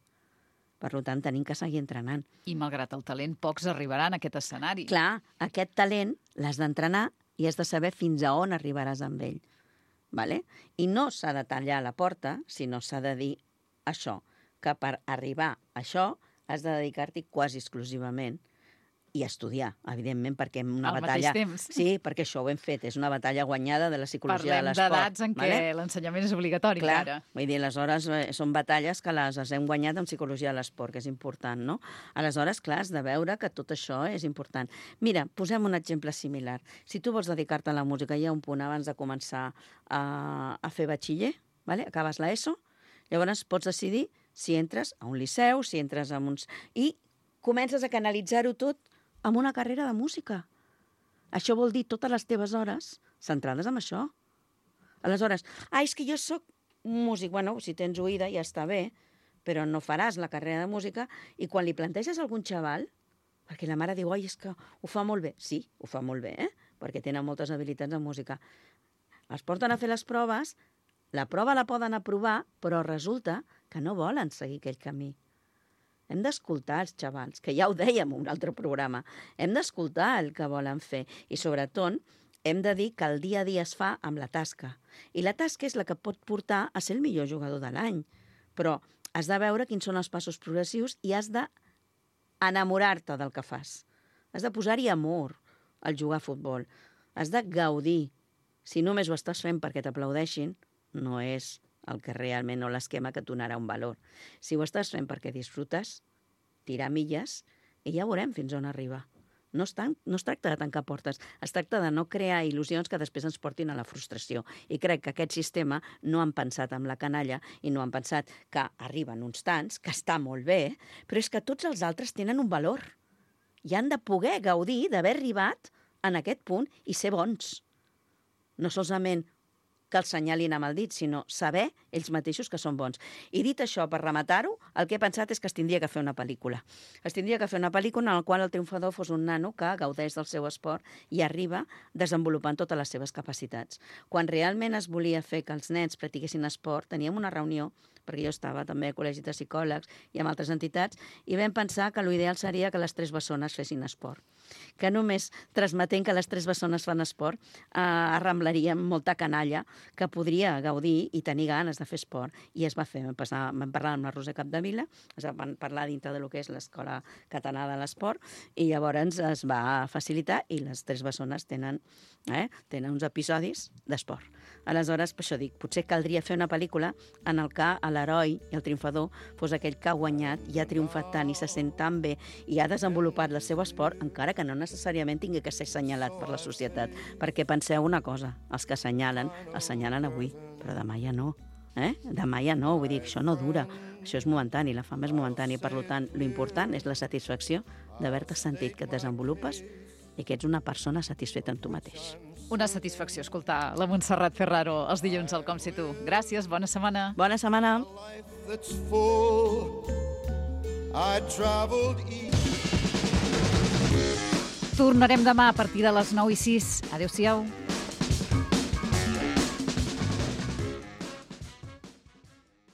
Per tant, tenim que seguir entrenant. I malgrat el talent, pocs arribaran a aquest escenari. Clar, aquest talent l'has d'entrenar i has de saber fins a on arribaràs amb ell. Vale? I no s'ha de tallar la porta, sinó s'ha de dir això, que per arribar a això has de dedicar-t'hi quasi exclusivament i estudiar, evidentment, perquè una Al batalla... mateix temps. Sí, perquè això ho hem fet, és una batalla guanyada de la psicologia de Parlem l'esport. d'edats en què l'ensenyament és obligatori, Clar, ara. vull dir, aleshores són batalles que les hem guanyat en psicologia de l'esport, que és important, no? Aleshores, clar, has de veure que tot això és important. Mira, posem un exemple similar. Si tu vols dedicar-te a la música, hi ha un punt abans de començar a fer batxiller, vale? Acabes l'ESO, llavors pots decidir si entres a un liceu, si entres a uns... I comences a canalitzar-ho tot amb una carrera de música. Això vol dir totes les teves hores centrades en això. Aleshores, és que jo sóc músic. Bueno, si tens oïda ja està bé, però no faràs la carrera de música i quan li planteges a algun xaval, perquè la mare diu, és que ho fa molt bé. Sí, ho fa molt bé, perquè tenen moltes habilitats en música. Els porten a fer les proves, la prova la poden aprovar, però resulta que no volen seguir aquell camí. Hem d'escoltar els xavals, que ja ho dèiem en un altre programa. Hem d'escoltar el que volen fer. I sobretot, hem de dir que el dia a dia es fa amb la tasca. I la tasca és la que pot portar a ser el millor jugador de l'any. Però has de veure quins són els passos progressius i has d'enamorar-te del que fas. Has de posar-hi amor al jugar a futbol. Has de gaudir. Si només ho estàs fent perquè t'aplaudeixin, no és el que realment o l'esquema que et donarà un valor. Si ho estàs fent perquè disfrutes, tirar milles i ja veurem fins on arriba. No es tracta de tancar portes, es tracta de no crear il·lusions que després ens portin a la frustració. I crec que aquest sistema no han pensat amb la canalla i no han pensat que arriben uns tants, que està molt bé, però és que tots els altres tenen un valor i han de poder gaudir d'haver arribat en aquest punt i ser bons. No solament que els senyalin amb el dit, sinó saber ells mateixos que són bons. I dit això, per rematar-ho, el que he pensat és que es tindria que fer una pel·lícula. Es tindria que fer una pel·lícula en la qual el triomfador fos un nano que gaudeix del seu esport i arriba desenvolupant totes les seves capacitats. Quan realment es volia fer que els nens practiquessin esport, teníem una reunió, perquè jo estava també a col·legi de psicòlegs i amb altres entitats, i vam pensar que l'ideal seria que les 3 bessones fessin esport. Que només transmetent que les 3 bessones fan esport arramblaríem molta canalla que podria gaudir i tenir ganes de fer esport. I es va fer. Vam parlar amb la Rosa Capdevila, es van parlar dintre del que és l'Escola Catalana de l'Esport, i llavors es va facilitar i les 3 bessones tenen uns episodis d'esport. Aleshores, per això dic, potser caldria fer una pel·lícula en el que l'heroi i el triomfador fos aquell que ha guanyat i ha triomfat tant i se sent tan bé i ha desenvolupat el seu esport, encara que no necessàriament tingui que ser assenyalat per la societat. Perquè penseu una cosa, els que assenyalen avui, però demà ja no. Demà ja no, vull dir que això no dura. Això és momentani, la fama és momentània. Per tant, l'important és la satisfacció d'haver-te sentit que et desenvolupes i que ets una persona satisfeta amb tu mateix. Una satisfacció escoltar la Montserrat Ferraro els dilluns al Com Si Tu. Gràcies, bona setmana. Bona setmana. Tornarem demà a partir de les 9:06. Adéu-siau.